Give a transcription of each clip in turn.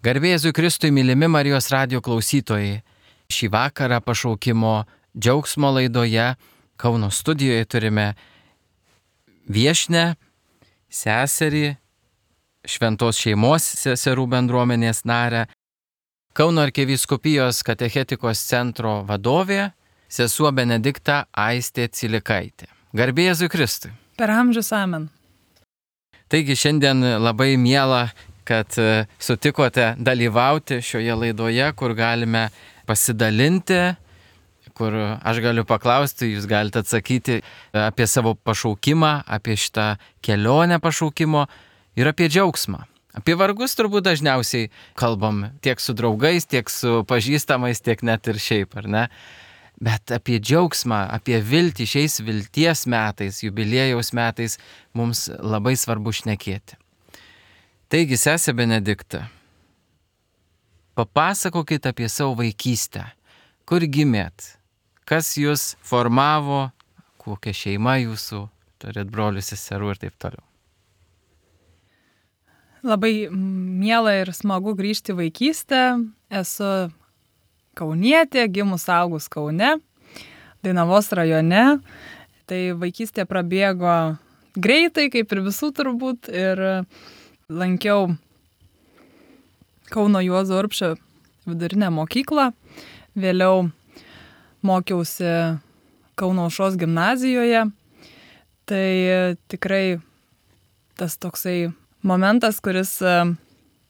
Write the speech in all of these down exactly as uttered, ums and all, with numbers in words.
Garbė Jėzui Kristui, mylimi Marijos radijo klausytojai. Šį vakarą pašaukimo džiaugsmo laidoje Kauno studijoje turime viešnią, seserį, šventos šeimos seserų bendruomenės narę, Kauno arkivyskupijos katechetikos centro vadovė, sesuo Benedikta Aistė Cilikaitė. Garbė Jėzui Kristui. Per amžius amen. Taigi šiandien labai miela, kad sutikote dalyvauti šioje laidoje, kur galime pasidalinti, kur aš galiu paklausti, jūs galite atsakyti apie savo pašaukimą, apie šitą kelionę pašaukimo ir apie džiaugsmą. Apie vargus turbūt dažniausiai kalbam tiek su draugais, tiek su pažįstamais, tiek net ir šiaip, ar ne? Bet apie džiaugsmą, apie viltį šiais vilties metais, jubiliejaus metais mums labai svarbu šnekėti. Taigi, sesė Benedikta, papasakokit apie savo vaikystę. Kur gimėt? Kas jūs formavo? Kokia šeima jūsų? Turit brolių, seserų ir taip toliau. Labai miela ir smagu grįžti į vaikystę. Esu kaunietė, gimus augus Kaune, Dainavos rajone. Tai vaikystė prabėgo greitai, kaip ir visų turbūt. Ir lankiau Kauno Juozo Urbšio vidurinę mokyklą. Vėliau mokiausi Kauno Aušros gimnazijoje. Tai tikrai tas toksai momentas, kuris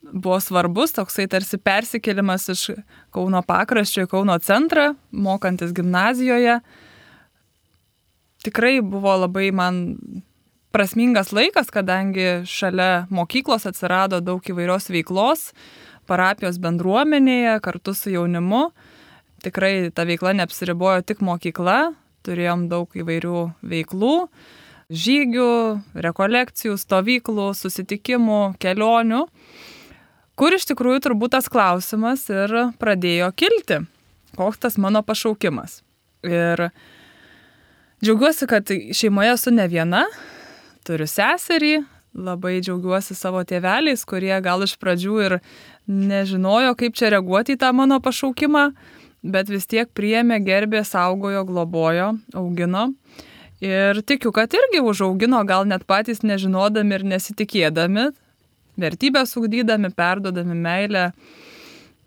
buvo svarbus, toksai tarsi persikėlimas iš Kauno pakraščio į Kauno centrą, mokantis gimnazijoje. Tikrai buvo labai man prasmingas laikas, kadangi šalia mokyklos atsirado daug įvairios veiklos, parapijos bendruomenėje, kartu su jaunimu. Tikrai ta veikla neapsiribojo tik mokykla, turėjom daug įvairių veiklų, žygių, rekolekcijų, stovyklų, susitikimų, kelionių, kur iš tikrųjų turbūt tas klausimas ir pradėjo kilti, koks tas mano pašaukimas. Ir džiaugiuosi, kad šeimoje esu ne viena, turiu seserį, labai džiaugiuosi savo tėveliais, kurie gal iš pradžių ir nežinojo, kaip čia reaguoti į tą mano pašaukimą, bet vis tiek priėmė, gerbė, saugojo, globojo, augino. Ir tikiu, kad irgi užaugino, gal net patys nežinodami ir nesitikėdami, vertybės ugdydami, perdodami meilę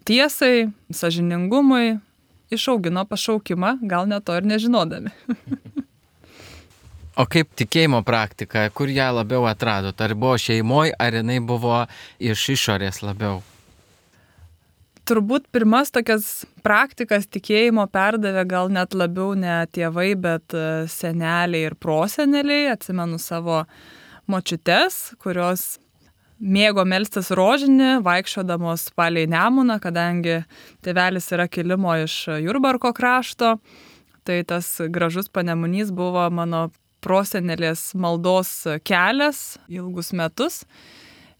tiesai, sąžiningumui, išaugino pašaukimą, gal net to ir nežinodami. O kaip tikėjimo praktika, kur ją labiau atradot? Ar buvo šeimoje, ar jinai buvo iš išorės labiau? Turbūt pirmas tokias praktikas tikėjimo perdavė gal net labiau ne tėvai, bet seneliai ir proseneliai. Atsimenu savo močiutes, kurios mėgo melstis rožinį, vaikščiodamos palei Nemuną, kadangi tėvelis yra kilimo iš Jurbarko krašto. Tai tas gražus panemunys buvo mano prosenelės maldos kelias ilgus metus.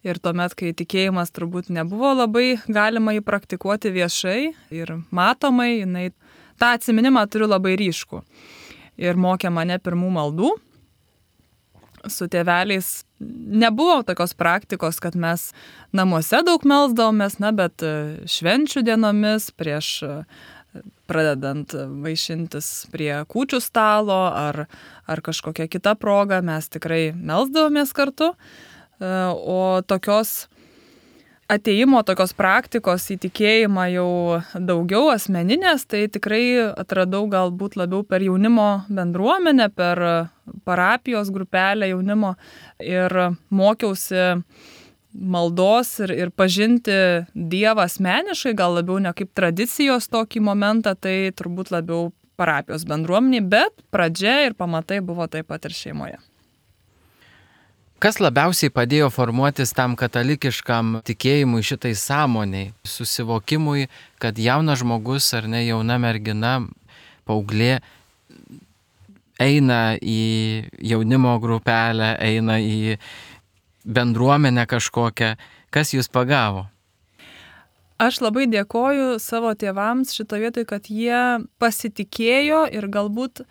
Ir tuomet, kai tikėjimas turbūt nebuvo labai galima jį praktikuoti viešai ir matomai, jinai tą atsiminimą turiu labai ryškų. Ir mokė mane pirmų maldų. Su tėveliais nebuvo tokios praktikos, kad mes namuose daug melsdavomės, na, bet švenčių dienomis prieš pradedant vaišintis prie kūčių stalo ar, ar kažkokia kita proga, mes tikrai melsdavomės kartu. O tokios atėjimo, tokios praktikos į tikėjimą jau daugiau asmeninės, tai tikrai atradau galbūt labiau per jaunimo bendruomenę, per parapijos grupelę jaunimo ir mokiausi maldos ir, ir pažinti Dievą asmeniškai, gal labiau ne kaip tradicijos tokį momentą, tai turbūt labiau parapijos bendruomeniai, bet pradžia ir pamatai buvo taip pat ir šeimoje. Kas labiausiai padėjo formuotis tam katalikiškam tikėjimui, šitai sąmoniai, susivokimui, kad jaunas žmogus ar ne jauna mergina, paauglė, eina į jaunimo grupelę, eina į bendruomenę kažkokią, kas jūs pagavo? Aš labai dėkoju savo tėvams šito vietoj, kad jie pasitikėjo ir galbūt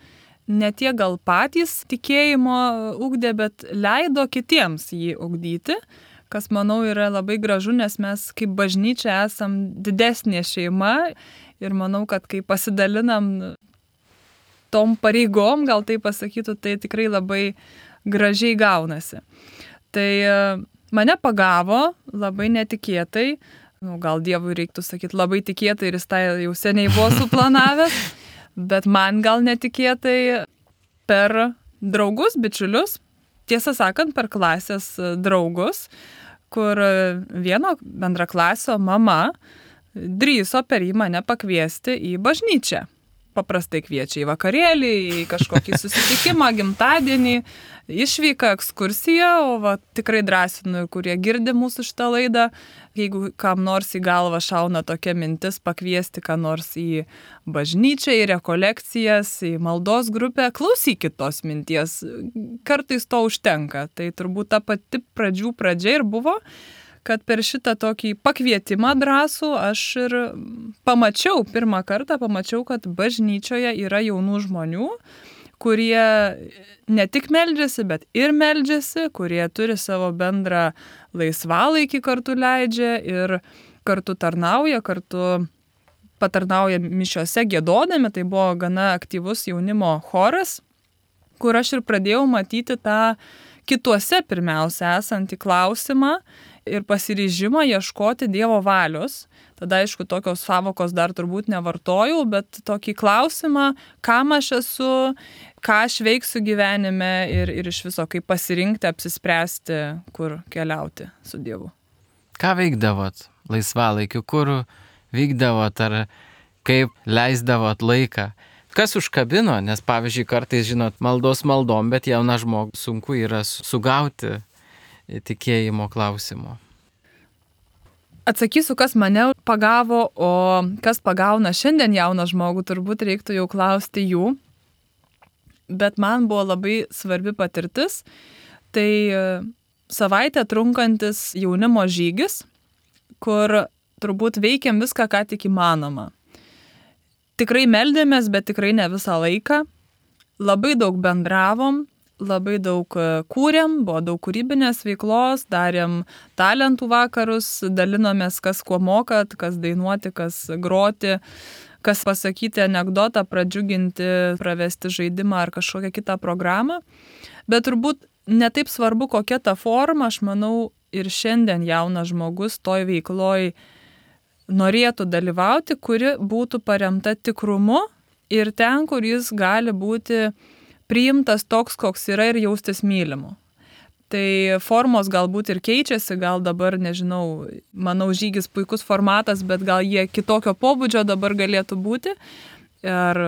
ne tiek gal patys tikėjimo ugdė, bet leido kitiems jį ugdyti, kas manau yra labai gražu, nes mes kaip bažnyčia esam didesnė šeima ir manau, kad kai pasidalinam tom pareigom, gal tai pasakytų, tai tikrai labai gražiai gaunasi. Tai mane pagavo labai netikėtai, nu, gal Dievui reiktų sakyti labai tikėtai ir jis tai jau seniai buvo suplanavęs, bet man gal netikėtai per draugus, bičiulius, tiesą sakant, per klasės draugus, kur vieno bendraklasio mama drįso per jį mane pakviesti į bažnyčią. Paprastai kviečia į vakarėlį, į kažkokį susitikimą, gimtadienį, išvyką, ekskursiją, o va, tikrai drąsinu, kurie girdi mūsų šitą laidą, jeigu kam nors į galvą šauna tokia mintis pakviesti ką nors į bažnyčią, į rekolekcijas, į maldos grupę, klausykit tos minties, kartais to užtenka. Tai turbūt ta pati pradžių pradžia ir buvo, kad per šitą tokį pakvietimą drąsų aš ir pamačiau, pirmą kartą pamačiau, kad bažnyčioje yra jaunų žmonių, kurie ne tik meldžiasi, bet ir meldžiasi, kurie turi savo bendrą laisvalaikį kartu leidžia ir kartu tarnauja, kartu patarnauja mišiose giedodami, tai buvo gana aktyvus jaunimo choras, kur aš ir pradėjau matyti tą kituose pirmiausia esantį klausimą, ir pasiryžimą ieškoti Dievo valios. Tada, aišku, tokios savokos dar turbūt nevartojau, bet tokį klausimą, kam aš esu, ką aš veiksiu gyvenime ir, ir iš viso, kaip pasirinkti, apsispręsti, kur keliauti su Dievu. Ką veikdavot laisvalaikiu, kur vykdavot ar kaip leisdavot laiką? Kas užkabino, nes pavyzdžiui, kartais, žinot, maldos maldom, bet jauną žmogų sunku yra sugauti tikėjimo klausimo. Atsakysiu, kas mane pagavo, o kas pagauna šiandien jauną žmogų, turbūt reiktų jau klausti jų. Bet man buvo labai svarbi patirtis. Tai savaitę trunkantis jaunimo žygis, kur turbūt veikiam viską, ką tik įmanoma. Tikrai meldėmės, bet tikrai ne visą laiką. Labai daug bendravom. Labai daug kūrėm, buvo daug kūrybinės veiklos, darėm talentų vakarus, dalinomės, kas kuo mokat, kas dainuoti, kas groti, kas pasakyti anekdotą, pradžiuginti, pravesti žaidimą ar kažkokią kitą programą. Bet turbūt netaip svarbu, kokia ta forma, aš manau, ir šiandien jaunas žmogus toj veikloj norėtų dalyvauti, kuri būtų paremta tikrumu ir ten, kur jis gali būti priimtas toks, koks yra ir jaustis mylimu. Tai formos galbūt ir keičiasi, gal dabar, nežinau, manau, žygis puikus formatas, bet gal jie kitokio pobūdžio dabar galėtų būti. Ir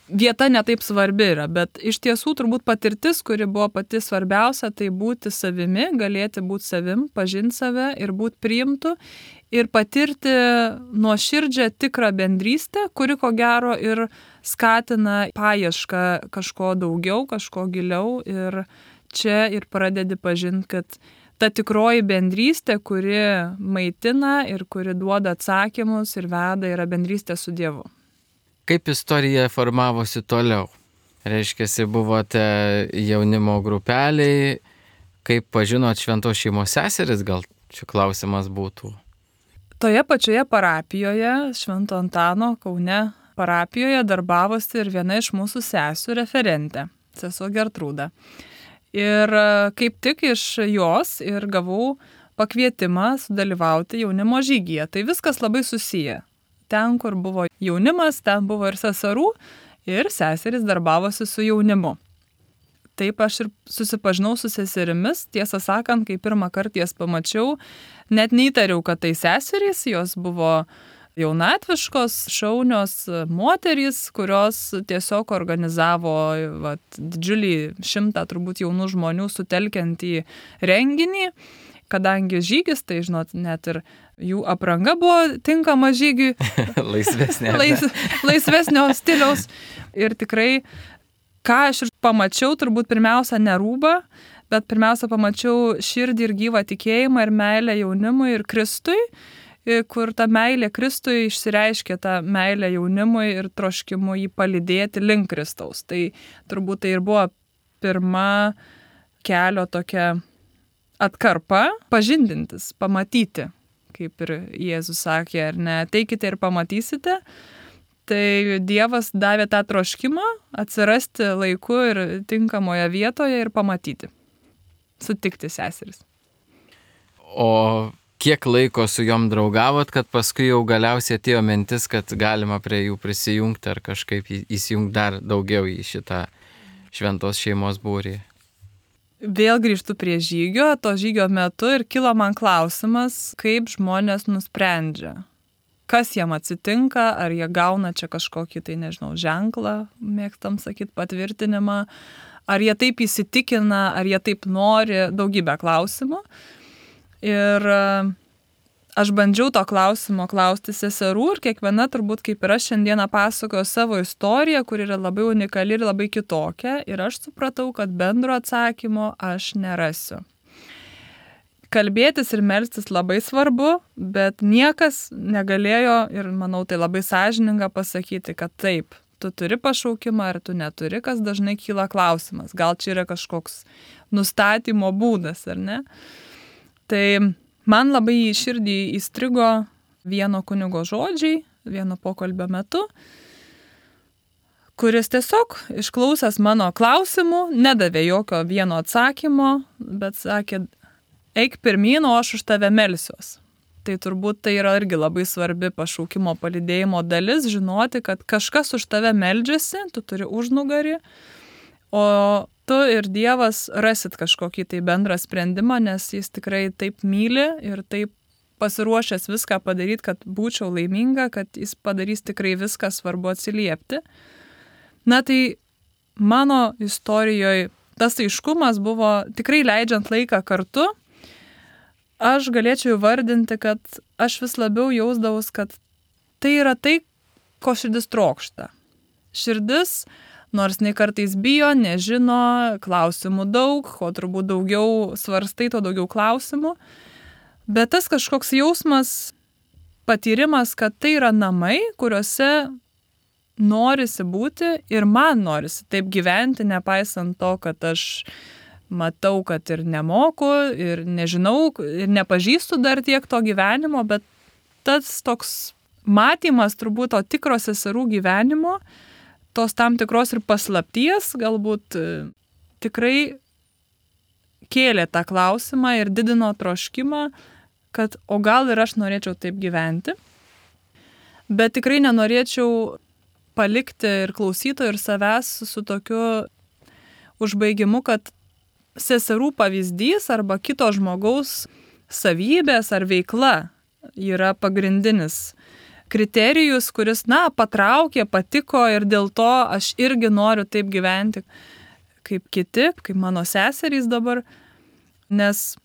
vieta netaip svarbi yra, bet iš tiesų turbūt patirtis, kuri buvo pati svarbiausia, tai būti savimi, galėti būti savim, pažinti save ir būti priimtu ir patirti nuoširdžią tikrą bendrystę, kuri ko gero ir skatina paiešką kažko daugiau, kažko giliau ir čia ir pradedi pažinti, kad ta tikroji bendrystė, kuri maitina ir kuri duoda atsakymus ir veda, yra bendrystė su Dievu. Kaip istorija formavosi toliau? Reiškiasi, buvote jaunimo grupeliai, kaip pažinot šventos šeimos seseris, gal čia klausimas būtų. Toje pačioje parapijoje, Švento Antano Kaune parapijoje darbavosi ir viena iš mūsų sesių referentė, sesuo Gertrūda. Ir kaip tik iš jos ir gavau pakvietimą sudalyvauti jaunimo žygyje. Tai viskas labai susiję. Ten, kur buvo jaunimas, ten buvo ir seserų, ir seserys darbavosi su jaunimu. Taip aš ir susipažinau su seserimis, tiesą sakant, kai pirmą kartą jas pamačiau, net neįtariau, kad tai seserys, jos buvo jaunatviškos, šaunios moterys, kurios tiesiog organizavo vat, didžiulį šimtą turbūt jaunų žmonių sutelkiantį renginį, kadangi žygis, tai žinot, net ir jų apranga buvo tinkama žygiui, laisvesnė, lais, laisvesnio stiliaus ir tikrai, ką aš ir pamačiau, turbūt pirmiausia ne rūbą, bet pirmiausia pamačiau širdį ir gyvą tikėjimą ir meilę jaunimui ir Kristui, kur ta meilė Kristui išsireiškė tą meilę jaunimui ir troškimu jį palydėti link Kristaus. Tai turbūt tai ir buvo pirma kelio tokia atkarpa pažindintis, pamatyti, kaip ir Jėzus sakė, ar ne, ateikite ir pamatysite. Tai Dievas davė tą troškimą atsirasti laiku ir tinkamoje vietoje ir pamatyti, sutikti seseris. O kiek laiko su jom draugavot, kad paskui jau galiausiai atėjo mintis, kad galima prie jų prisijungti ar kažkaip įsijungti dar daugiau į šitą šventos šeimos būrį? Vėl grįžtu prie žygio, to žygio metu ir kilo man klausimas, kaip žmonės nusprendžia. Kas jiem atsitinka, ar jie gauna čia kažkokį, tai nežinau, ženklą, mėgstam sakyti, patvirtinimą, ar jie taip įsitikina, ar jie taip nori, daugybę klausimų. Ir aš bandžiau to klausimo klausti seserų ir kiekviena turbūt kaip ir aš šiandieną pasakoju savo istoriją, kur yra labai unikali ir labai kitokia. Ir aš supratau, kad bendro atsakymo aš nerasiu. Kalbėtis ir melstis labai svarbu, bet niekas negalėjo, ir manau tai labai sąžininga pasakyti, kad taip, tu turi pašaukimą ar tu neturi, kas dažnai kyla klausimas. Gal čia yra kažkoks nustatymo būdas, ar ne? Tai man labai į širdį įstrigo vieno kunigo žodžiai, vieno pokalbio metu, kuris tiesiog išklausęs mano klausimų, nedavė jokio vieno atsakymo, bet sakė, eik pirmyn, o aš už tave melsiuos. Tai turbūt tai yra irgi labai svarbi pašaukimo palydėjimo dalis, žinoti, kad kažkas už tave meldžiasi, tu turi užnugarį, o tu ir Dievas rasit kažkokį tai bendrą sprendimą, nes jis tikrai taip myli ir taip pasiruošęs viską padaryti, kad būčiau laiminga, kad jis padarys tikrai viską, svarbu atsiliepti. Na tai mano istorijoje tas aiškumas buvo tikrai leidžiant laiką kartu. Aš galėčiau įvardinti, kad aš vis labiau jausdavus, kad tai yra tai, ko širdis trokšta. Širdis, nors nei kartais bijo, nežino, klausimų daug, ko turbūt daugiau svarstai, to daugiau klausimų. Bet tas kažkoks jausmas, patyrimas, kad tai yra namai, kuriuose norisi būti ir man norisi taip gyventi, nepaisant to, kad aš matau, kad ir nemoku, ir nežinau, ir nepažįstu dar tiek to gyvenimo, bet tas toks matymas turbūt to tikro seserų gyvenimo, tos tam tikros ir paslapties, galbūt tikrai kėlė tą klausimą ir didino troškimą, kad o gal ir aš norėčiau taip gyventi. Bet tikrai nenorėčiau palikti ir klausytojų ir savęs su tokiu užbaigimu, kad seserų pavyzdys arba kito žmogaus savybės ar veikla yra pagrindinis kriterijus, kuris, na, patraukė, patiko ir dėl to aš irgi noriu taip gyventi kaip kiti, kaip mano seserys dabar, nes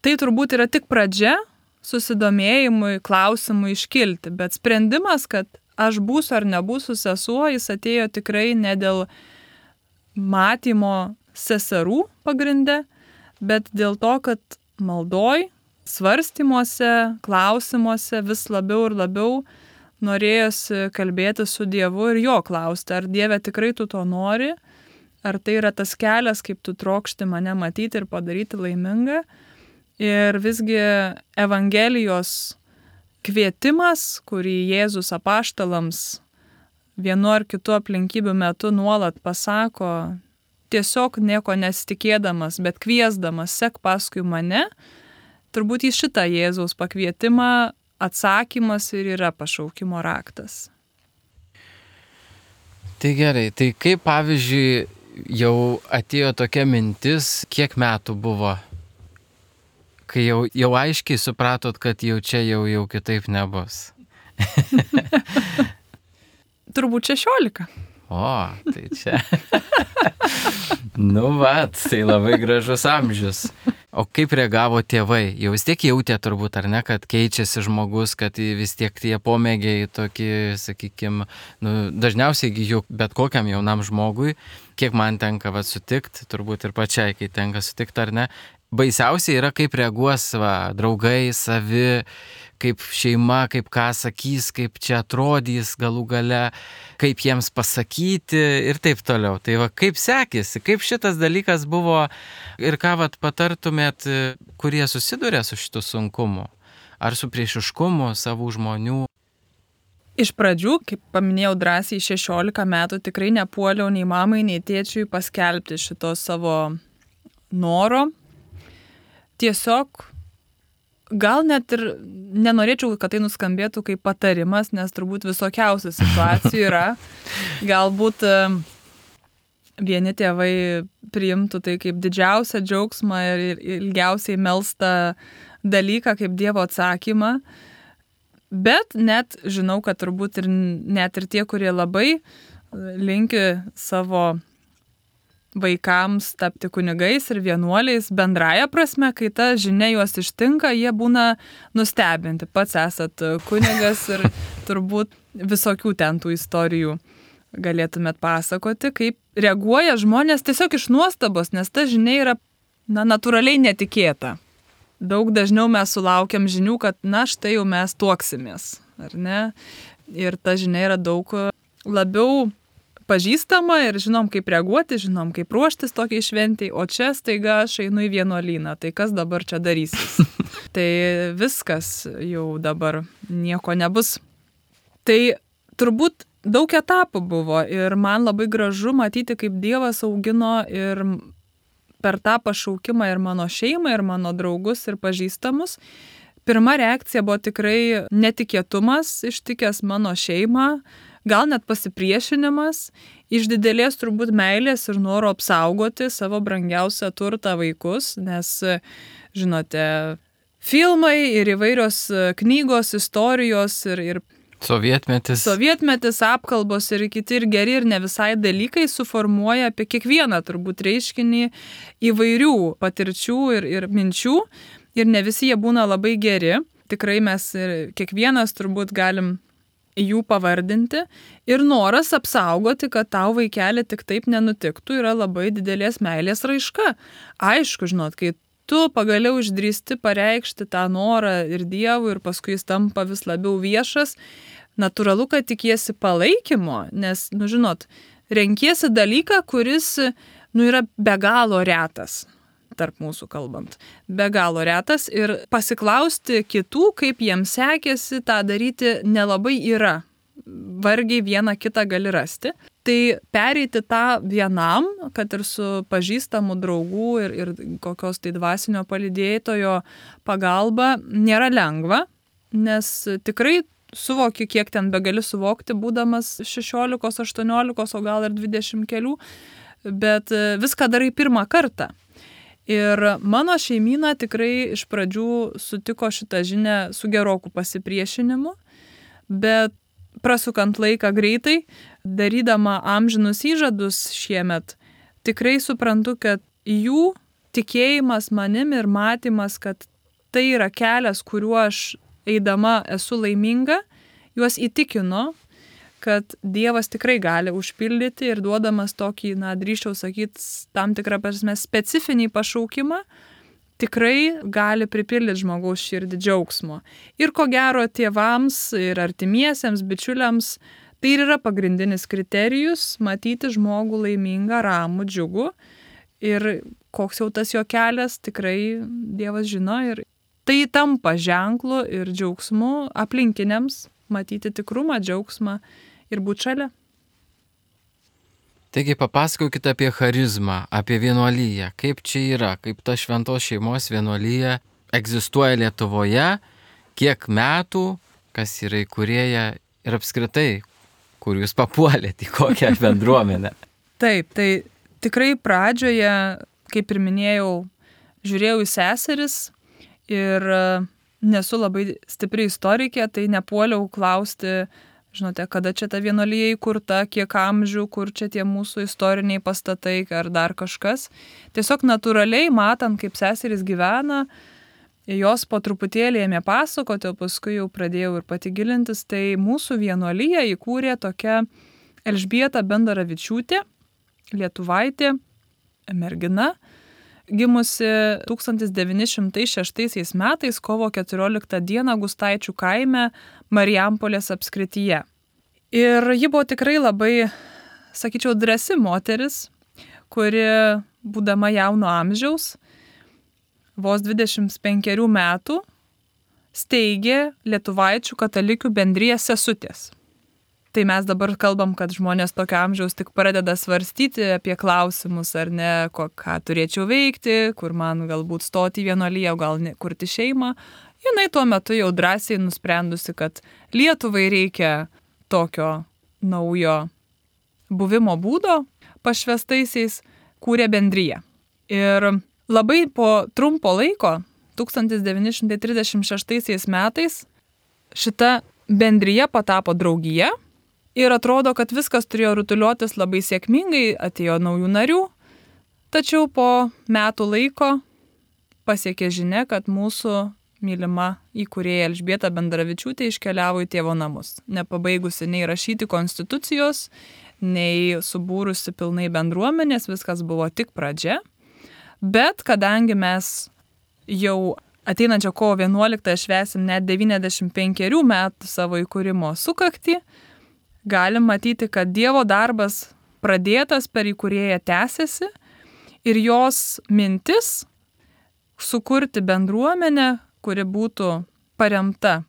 tai turbūt yra tik pradžia susidomėjimui, klausimui iškilti, bet sprendimas, kad aš būsiu ar nebūsiu sesuo, jis atėjo tikrai ne dėl matymo seserų pagrinde, bet dėl to, kad maldoj, svarstymuose, klausimuose vis labiau ir labiau norėjosi kalbėti su Dievu ir jo klausti, ar Dieve tikrai tu to nori, ar tai yra tas kelias, kaip tu trokšti mane matyti ir padaryti laimingą. Ir visgi Evangelijos kvietimas, kurį Jėzus apaštalams vienu ar kitu aplinkybių metu nuolat pasako, tiesiog nieko nesitikėdamas, bet kviesdamas, sek paskui mane, turbūt į šitą Jėzaus pakvietimą atsakymas ir yra pašaukimo raktas. Tai gerai, tai kaip pavyzdžiui jau atėjo tokia mintis, kiek metų buvo, kai jau, jau aiškiai supratot, kad jau čia jau, jau kitaip nebus? Turbūt šešiolika. O, tai čia. Nu vat, tai labai gražus amžius. O kaip reagavo tėvai? Jau vis tiek jautė turbūt, ar ne, kad keičiasi žmogus, kad vis tiek tie pomėgiai tokie, sakykime, nu, dažniausiai juk bet kokiam jaunam žmogui, kiek man tenka va, sutikti, turbūt ir pačiai, kai tenka sutikti, ar ne, baisiausiai yra, kaip reaguos va, draugai, savi, kaip šeima, kaip ką sakys, kaip čia atrodys galų gale, kaip jiems pasakyti ir taip toliau. Tai va, kaip sekėsi, kaip šitas dalykas buvo ir ką vat patartumėt, kurie susiduria su šitu sunkumu, ar su priešiškumu savų žmonių? Iš pradžių, kaip paminėjau drąsiai, šešiolika metų tikrai nepuoliau nei mamai, nei tėčiui paskelbti šito savo noro. Tiesiog gal net ir nenorėčiau, kad tai nuskambėtų kaip patarimas, nes turbūt visokiausių situacijų yra. Galbūt vieni tėvai priimtų tai kaip didžiausią džiaugsmą ir ilgiausiai melstą dalyką, kaip Dievo atsakymą. Bet net žinau, kad turbūt ir net ir tie, kurie labai linki savo vaikams tapti kunigais ir vienuoliais, bendraja prasme, kai ta žinia juos ištinka, jie būna nustebinti. Pats esat kunigas ir turbūt visokių ten tų istorijų galėtumėt pasakoti, kaip reaguoja žmonės tiesiog iš nuostabos, nes ta žinia yra na, natūraliai netikėta. Daug dažniau mes sulaukiam žinių, kad na štai jau mes tuoksimės, ar ne? Ir ta žinia yra daug labiau pažįstama ir žinom, kaip reaguoti, žinom, kaip ruoštis tokiai šventei, o čia staiga aš einu į vienuolyną, tai kas dabar čia darysis? Tai viskas jau dabar nieko nebus. Tai turbūt daug etapų buvo ir man labai gražu matyti, kaip Dievas augino ir per tą pašaukimą ir mano šeimą, ir mano draugus, ir pažįstamus. Pirma reakcija buvo tikrai netikėtumas, ištikęs mano šeimą, gal net pasipriešinimas, iš didelės turbūt meilės ir noro apsaugoti savo brangiausią turtą vaikus, nes, žinote, filmai ir įvairios knygos, istorijos ir, ir Sovietmetis. Sovietmetis, apkalbos ir kiti ir geri ir ne visai dalykai suformuoja apie kiekvieną turbūt reiškinį įvairių patirčių ir, ir minčių ir ne visi jie būna labai geri. Tikrai mes ir kiekvienas turbūt galim jų pavardinti ir noras apsaugoti, kad tau vaikelį tik taip nenutiktų, yra labai didelės meilės raiška. Aišku, žinot, kai tu pagaliau išdrįsti pareikšti tą norą ir Dievui ir paskui jis tampa vis labiau viešas, natūralu, kad tikiesi palaikymo, nes, nu žinot, renkiesi dalyką, kuris, nu, yra be galo retas, tarp mūsų kalbant. Be galo retas ir pasiklausti kitų, kaip jiems sekėsi, tą daryti nelabai yra. Vargiai vieną kitą gali rasti. Tai pereiti tą vienam, kad ir su pažįstamų draugų ir, ir kokios tai dvasinio palydėtojo pagalba, nėra lengva, nes tikrai suvoki, kiek ten begali suvokti, būdamas šešiolikos, aštuoniolikos, o gal ir dvidešimt kelių, bet viską darai pirmą kartą. Ir mano šeimyna tikrai iš pradžių sutiko šitą žinią su geroku pasipriešinimu, bet prasukant laiką greitai, darydama amžinus įžadus šiemet, tikrai suprantu, kad jų tikėjimas manim ir matymas, kad tai yra kelias, kuriuo aš eidama esu laiminga, juos įtikino, kad Dievas tikrai gali užpildyti ir duodamas tokį, na, drįsčiau sakyti, tam tikrą prasme specifinį pašaukimą, tikrai gali pripildyti žmogaus širdį džiaugsmo. Ir ko gero tėvams ir artimiesiems, bičiuliams, tai ir yra pagrindinis kriterijus matyti žmogų laimingą, ramų, džiugų. Ir koks jau tas jo kelias, tikrai Dievas žino. Ir tai tampa ženklu ir džiaugsmu aplinkiniams matyti tikrumą, džiaugsmą ir būti šalia. Taigi papasakokite apie charizmą, apie vienuolyją, kaip čia yra, kaip ta šventos šeimos vienuolyja egzistuoja Lietuvoje, kiek metų, kas yra įkūrėja ir apskritai, kur jūs papuolėte, į kokią bendruomenę. Taip, tai tikrai pradžioje, kaip ir minėjau, žiūrėjau į seseris ir nesu labai stipri istorikė, tai nepuoliau klausti, žinote, kada čia ta vienuolyja įkurta, kiek amžių, kur čia tie mūsų istoriniai pastatai ar dar kažkas. Tiesiog natūraliai, matant, kaip seserys gyvena, jos po truputėlį ėmė pasakoti, o paskui jau pradėjau ir pati gilintis, tai mūsų vienuolyja įkūrė tokia Elžbieta Bendaravičiūtė, lietuvaitė, mergina. gimusi tūkstantis devyni šimtai šeštaisiais metais kovo keturioliktą dieną Gustaičių kaime Marijampolės apskrityje. Ir ji buvo tikrai labai, sakyčiau, drąsi moteris, kuri, būdama jauno amžiaus, vos dvidešimt penkerių metų, steigė Lietuvaičių katalikių bendriją Sesutės. Tai mes dabar kalbam, kad žmonės tokio amžiaus tik pradeda svarstyti apie klausimus, ar ne, ko, ką turėčiau veikti, kur man galbūt stoti į vienuoliją, gal ne, kurti šeimą. Jinai tuo metu jau drąsiai nusprendusi, kad Lietuvai reikia tokio naujo buvimo būdo pašvestaisiais, kūrė bendriją. Ir labai po trumpo laiko, tūkstantis devyni šimtai trisdešimt šeštaisiais metais, šita bendrija patapo draugija. Ir atrodo, kad viskas turėjo rutuliotis labai sėkmingai, atėjo naujų narių, tačiau po metų laiko pasiekė žinia, kad mūsų mylima įkūrėja Elžbieta Bendravičiūtė iškeliavo į tėvo namus, nepabaigusi nei rašyti konstitucijos, nei subūrusi pilnai bendruomenės, viskas buvo tik pradžia. Bet kadangi mes jau ateinančio kovo vienuoliktąją švęsim net devyniasdešimt penkerių metų savo įkūrimo sukaktį, galim matyti, kad Dievo darbas pradėtas per įkūrėją tęsiasi ir jos mintis sukurti bendruomenę, kuri būtų paremta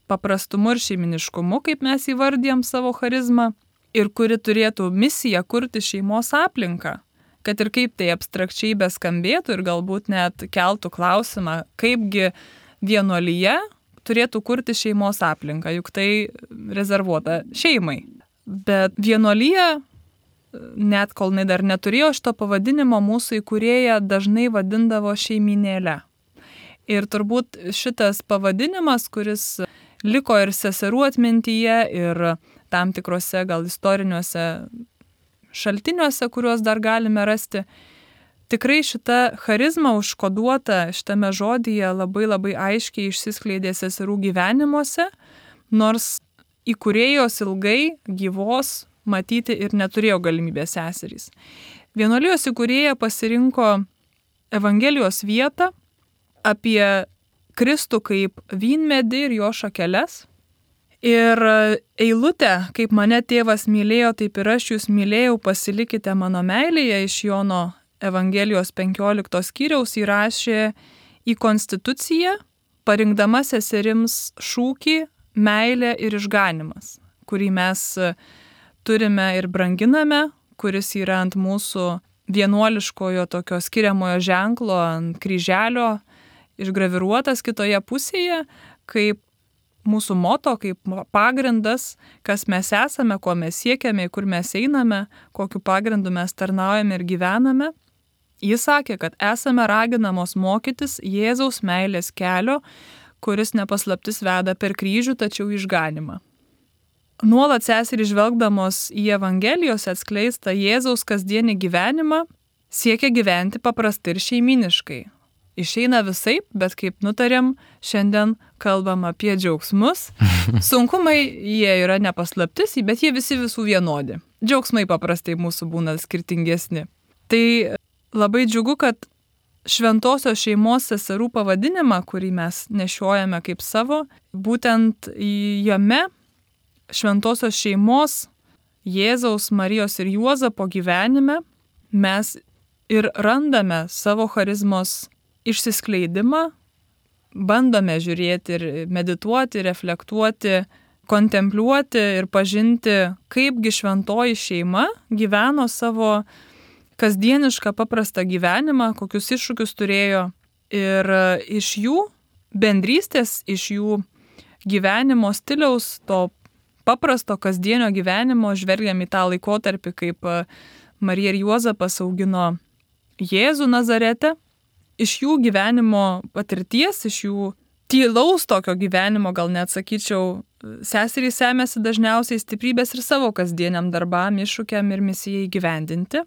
paprastumu ir šeiminiškumu, kaip mes įvardijam savo charizmą, ir kuri turėtų misiją kurti šeimos aplinką, kad ir kaip tai abstrakčiai beskambėtų ir galbūt net keltų klausimą, kaipgi vienuolija turėtų kurti šeimos aplinką, juk tai rezervuota šeimai. Bet vienuolija, net kol jinai dar neturėjo šito pavadinimo, mūsų įkūrėja dažnai vadindavo šeiminėle. Ir turbūt šitas pavadinimas, kuris liko ir seserų atmintyje, ir tam tikrose gal istoriniuose šaltiniuose, kuriuos dar galime rasti, tikrai šita charizma užkoduota šitame žodyje labai labai aiškiai išsiskleidė seserų gyvenimuose, nors įkūrėjos ilgai gyvos matyti ir neturėjo galimybės seserys. Vienuolijos įkūrėja pasirinko Evangelijos vietą apie Kristų kaip vynmedį ir jo šakeles. Ir eilutę, kaip mane tėvas mylėjo, taip ir aš jūs mylėjau, pasilikite mano meilėje, iš Jono Evangelijos penkioliktos skyriaus įrašė į konstituciją, parinkdama seserims šūkį meilė ir išganimas, kurį mes turime ir branginame, kuris yra ant mūsų vienuoliškojo tokio skiriamojo ženklo, ant kryželio išgraviruotas kitoje pusėje, kaip mūsų moto, kaip pagrindas, kas mes esame, ko mes siekiame, kur mes einame, kokiu pagrindu mes tarnaujame ir gyvename. Jis sakė, kad esame raginamos mokytis Jėzaus meilės kelio, kuris nepaslaptis veda per kryžių, tačiau išganimą. Nuolat seserys žvelgdamos į Evangelijos atskleistą Jėzaus kasdienį gyvenimą, siekia gyventi paprastai ir šeiminiškai. Išeina visaip, bet kaip nutarėm, šiandien kalbam apie džiaugsmus. Sunkumai jie yra nepaslaptis, bet jie visi visų vienodi. Džiaugsmai paprastai mūsų būna skirtingesni. Tai labai džiugu, kad šventosios šeimos seserų pavadinimą, kurį mes nešiojame kaip savo, būtent jame šventosios šeimos Jėzaus, Marijos ir Juozapo gyvenime mes ir randame savo charizmos išsiskleidimą, bandome žiūrėti ir medituoti, reflektuoti, kontempliuoti ir pažinti, kaipgi šventoji šeima gyveno savo kasdienišką paprastą gyvenimą, kokius iššūkius turėjo. Ir iš jų bendrystės, iš jų gyvenimo stiliaus, to paprasto kasdienio gyvenimo žvelgiam į tą laikotarpį, kaip Marija ir Juozapas augino Jėzų Nazarete. Iš jų gyvenimo patirties, iš jų tylaus tokio gyvenimo, gal net sakyčiau, seserys semėsi dažniausiai stiprybės ir savo kasdieniam darbam, iššūkiam ir misijai įgyvendinti.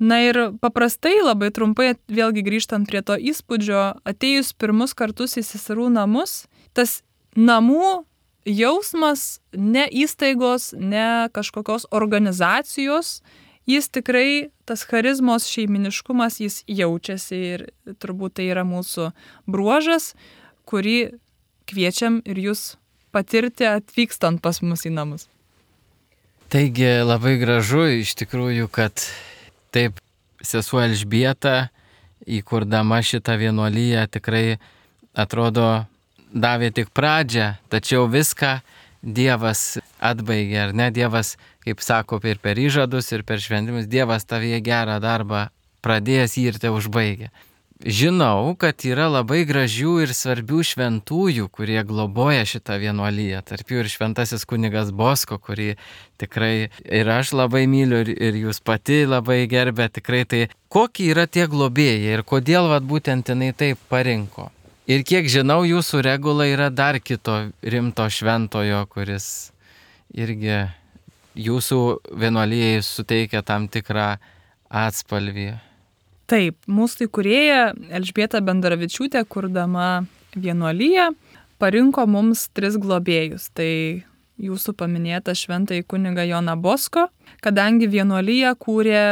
Na ir paprastai, labai trumpai, vėlgi grįžtant prie to įspūdžio, atėjus pirmus kartus į seserų namus, tas namų jausmas ne įstaigos, ne kažkokios organizacijos, jis tikrai, tas charizmos šeiminiškumas, jis jaučiasi ir turbūt tai yra mūsų bruožas, kurį kviečiam ir jūs patirti atvykstant pas mus į namus. Taigi labai gražu iš tikrųjų, kad taip sesuo Elžbieta, įkurdama šitą vienuoliją, tikrai atrodo davė tik pradžią, tačiau viską Dievas atbaigė, ar ne? Dievas, kaip sako, ir per įžadus, ir per šventimus, Dievas tavyje gerą darbą pradėjęs jį ir te užbaigė. Žinau, kad yra labai gražių ir svarbių šventųjų, kurie globoja šitą vienuoliją. Tarp jų ir šventasis kunigas Bosko, kurį tikrai ir aš labai myliu, ir, ir jūs pati labai gerbė. Tikrai tai, kokie yra tie globėjai ir kodėl vat, būtent jinai taip parinko. Ir kiek žinau, jūsų regula yra dar kito rimto šventojo, kuris irgi jūsų vienuolijai suteikia tam tikrą atspalvį. Taip, mūsų įkūrėja Elžbieta Bendaravičiūtė, kurdama vienuoliją, parinko mums tris globėjus. Tai jūsų paminėta šventąjį kunigą Joną Bosko, kadangi vienuoliją kūrė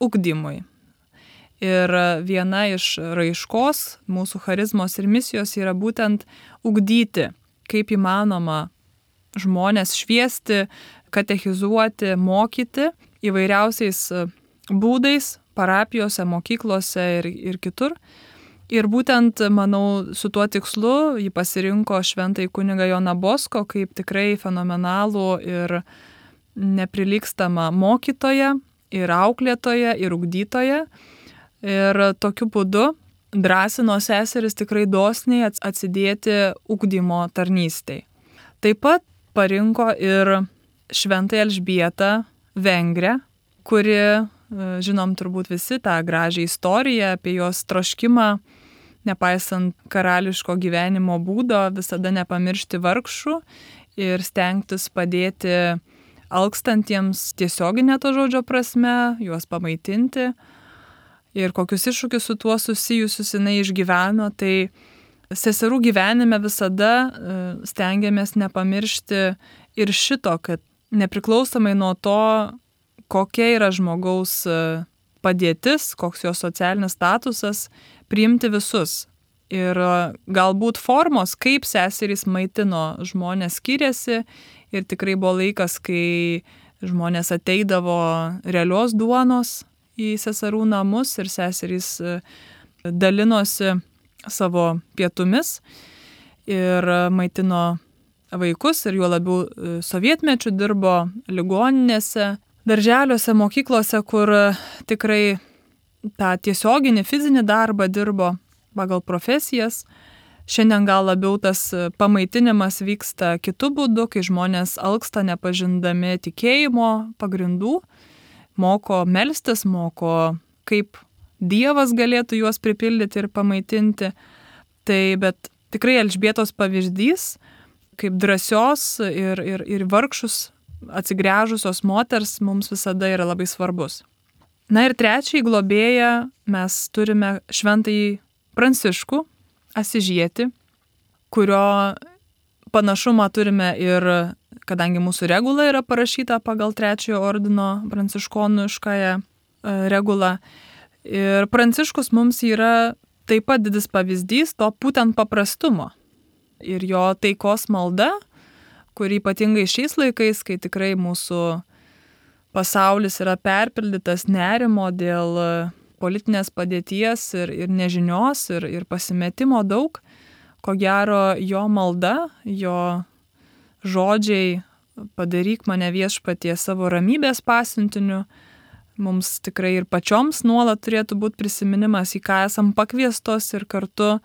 ugdymui. Ir viena iš raiškos mūsų charizmos ir misijos yra būtent ugdyti, kaip įmanoma žmonės šviesti, katechizuoti, mokyti įvairiausiais būdais, parapijose, mokyklose ir, ir kitur. Ir būtent, manau, su tuo tikslu jį pasirinko šventąjį kunigą Joną Bosko kaip tikrai fenomenalų ir neprilygstamą mokytoją, ir auklėtoją, ir ugdytoją. Ir tokiu būdu drąsino seseris tikrai dosniai atsidėti ugdymo tarnystei. Taip pat parinko ir šventąją Elžbietą Vengrę, kuri, žinom turbūt visi tą gražią istoriją apie jos troškimą, nepaisant karališko gyvenimo būdo, visada nepamiršti vargšų ir stengtis padėti alkstantiems tiesioginė to žodžio prasme, juos pamaitinti. Ir kokius iššūkius su tuo susijusius jinai išgyveno, tai seserų gyvenime visada stengiamės nepamiršti ir šito, kad nepriklausomai nuo to, kokia yra žmogaus padėtis, koks jo socialinis statusas, priimti visus. Ir galbūt formos, kaip seserys maitino žmonės, skiriasi ir tikrai buvo laikas, kai žmonės ateidavo realios duonos į seserų namus ir seserys dalinosi savo pietumis ir maitino vaikus ir juo labiau sovietmečiu dirbo ligoninėse, darželiuose, mokyklose, kur tikrai tą tiesioginį fizinį darbą dirbo pagal profesijas. Šiandien gal labiau tas pamaitinimas vyksta kitu būdu, kai žmonės alksta nepažindami tikėjimo pagrindų, moko melstis, moko kaip Dievas galėtų juos pripildyti ir pamaitinti. Tai bet tikrai Elžbietos pavyzdys, kaip drąsios ir, ir, ir vargšus atsigręžusios moters mums visada yra labai svarbus. Na ir trečiai globėją mes turime šventąjį Pranciškų Asižietį, kurio panašumą turime ir, kadangi mūsų regula yra parašyta pagal trečiojo ordino pranciškoniškąją regulą. Ir Pranciškus mums yra taip pat didis pavyzdys to būtent paprastumo. Ir jo taikos malda, kuri ypatingai šiais laikais, kai tikrai mūsų pasaulis yra perpildytas nerimo dėl politinės padėties ir, ir nežinios ir, ir pasimetimo daug, ko gero jo malda, jo žodžiai padaryk mane viešpatie savo ramybės pasiuntiniu, mums tikrai ir pačioms nuolat turėtų būti prisiminimas, į ką esam pakviestos ir kartu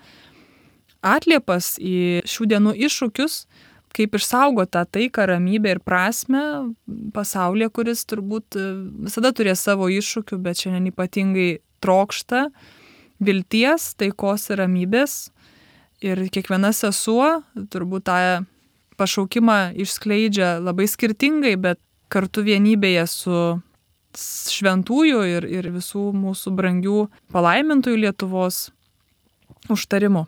atliepas į šių dienų iššūkius, kaip išsaugoti tą taiką, ramybę ir prasmę pasaulyje, kuris turbūt visada turės savo iššūkių, bet šiandien ypatingai trokšta vilties, taikos ir ramybės. Ir kiekviena sesuo turbūt tą pašaukimą išskleidžia labai skirtingai, bet kartu vienybėje su šventųjų ir, ir visų mūsų brangių palaimintųjų Lietuvos užtarimu.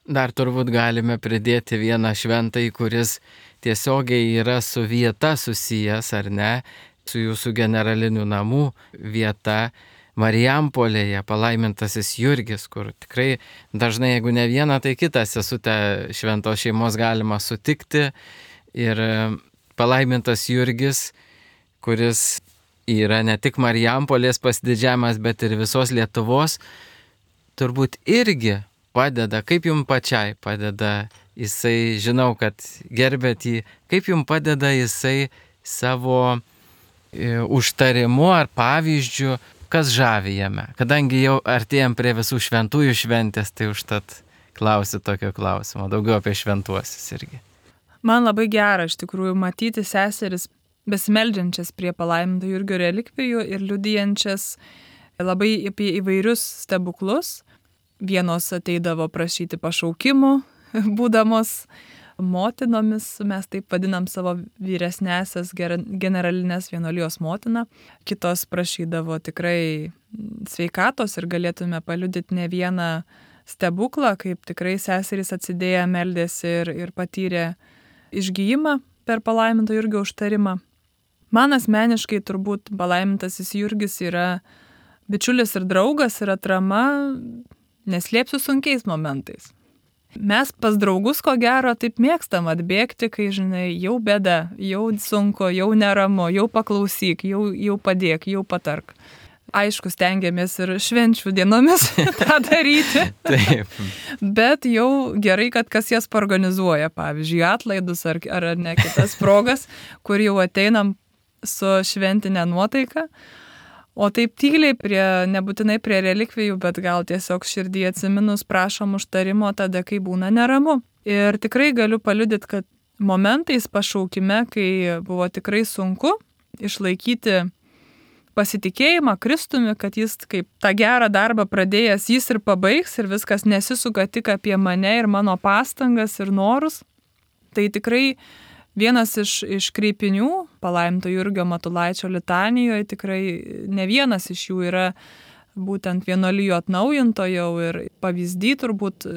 Dar turbūt galime pridėti vieną šventąjį, kuris tiesiogiai yra su vieta susijęs, ar ne? su jūsų generalinių namų vieta Marijampolėje, palaimintasis Jurgis, kur tikrai dažnai, jeigu ne vieną, tai kitą sesutę šventos šeimos galima sutikti. Ir palaimintas Jurgis, kuris yra ne tik Marijampolės pasididžiavimas, bet ir visos Lietuvos, turbūt irgi padeda, kaip jums pačiai padeda jisai, žinau, kad gerbėt jį, kaip jums padeda jisai savo e, užtarimu ar pavyzdžiu, kas žavi jame. Kadangi jau artėjom prie visų šventųjų šventės, tai užtat klausiu tokio klausimo, daugiau apie šventuosius irgi. Man labai gera iš tikrųjų matyti seseris besimeldžiančias prie palaiminto Jurgio relikvijų ir liudijančias labai apie įvairius stebuklus. Vienos ateidavo prašyti pašaukimų, būdamos motinomis, mes taip vadinam savo vyresnėsias generalinės vienuolijos motiną. Kitos prašydavo tikrai sveikatos ir galėtume paliudyti ne vieną stebuklą, kaip tikrai seserys atsidėję meldėsi ir, ir patyrė išgijimą per palaiminto Jurgio užtarimą. Man asmeniškai turbūt palaimintasis Jurgis yra bičiulis ir draugas ir atrama, neslėpsiu, sunkiais momentais. Mes pas draugus, ko gero, taip mėgstam atbėgti, kai, žinai, jau bėda, jau sunku, jau neramu, jau paklausyk, jau, jau padėk, jau patark. Aišku, stengiamės ir švenčių dienomis tą daryti. Taip. Bet jau gerai, kad kas jas organizuoja, pavyzdžiui, atlaidus ar, ar ne kitas progas, kur jau ateinam su šventinė nuotaika. O taip tyliai, prie, nebūtinai prie relikvijų, bet gal tiesiog širdį atsiminus prašom užtarimo tada, kai būna neramu. Ir tikrai galiu paliudyti, kad momentais pašaukime, kai buvo tikrai sunku išlaikyti pasitikėjimą Kristumi, kad jis kaip tą gerą darbą pradėjęs, jis ir pabaigs ir viskas nesisuka tik apie mane ir mano pastangas ir norus. Tai tikrai vienas iš, iš kreipinių palaiminto Jurgio Matulaičio litanijoje, tikrai ne vienas iš jų yra būtent vienuolijų atnaujintojo ir pavyzdį turbūt,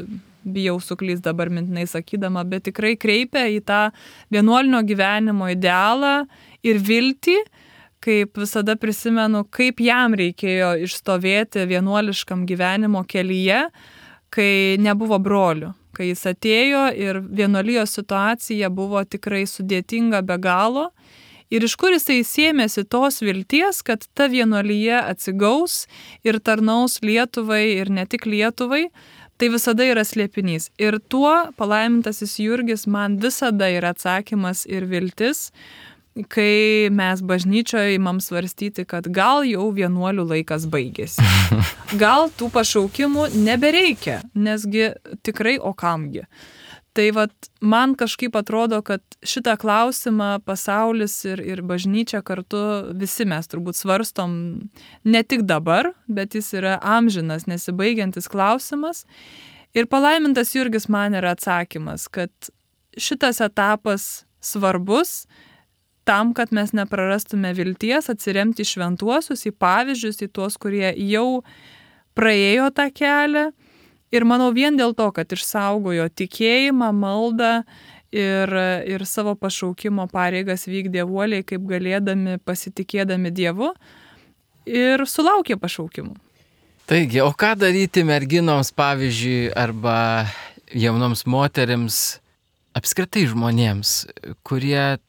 bijau suklyst dabar mintinai sakydama, bet tikrai kreipia į tą vienuolinio gyvenimo idealą ir viltį, kaip visada prisimenu, kaip jam reikėjo išstovėti vienuoliškam gyvenimo kelyje, kai nebuvo brolių. Kai jis atėjo ir vienuolijos situacija buvo tikrai sudėtinga be galo. Ir iš kur jisai sėmėsi tos vilties, kad ta vienuolija atsigaus ir tarnaus Lietuvai ir ne tik Lietuvai, tai visada yra slėpinys. Ir tuo palaimintasis Jurgis man visada yra atsakymas ir viltis, kai mes bažnyčioje imam svarstyti, kad gal jau vienuolių laikas baigėsi. Gal tų pašaukimų nebereikia, nesgi tikrai o kamgi. Tai vat, man kažkaip atrodo, kad šitą klausimą pasaulis ir, ir bažnyčia kartu visi mes turbūt svarstom ne tik dabar, bet jis yra amžinas, nesibaigiantis klausimas. Ir palaimintas Jurgis man yra atsakymas, kad šitas etapas svarbus, tam, kad mes neprarastume vilties, atsiremti į šventuosius, į pavyzdžius, į tuos, kurie jau praėjo tą kelią. Ir manau vien dėl to, kad išsaugojo tikėjimą, maldą ir, ir savo pašaukimo pareigas vykdė uoliai, kaip galėdami, pasitikėdami Dievu ir sulaukė pašaukimų. Taigi, o ką daryti merginoms, pavyzdžiui, arba jaunoms moterims, apskritai žmonėms, kurie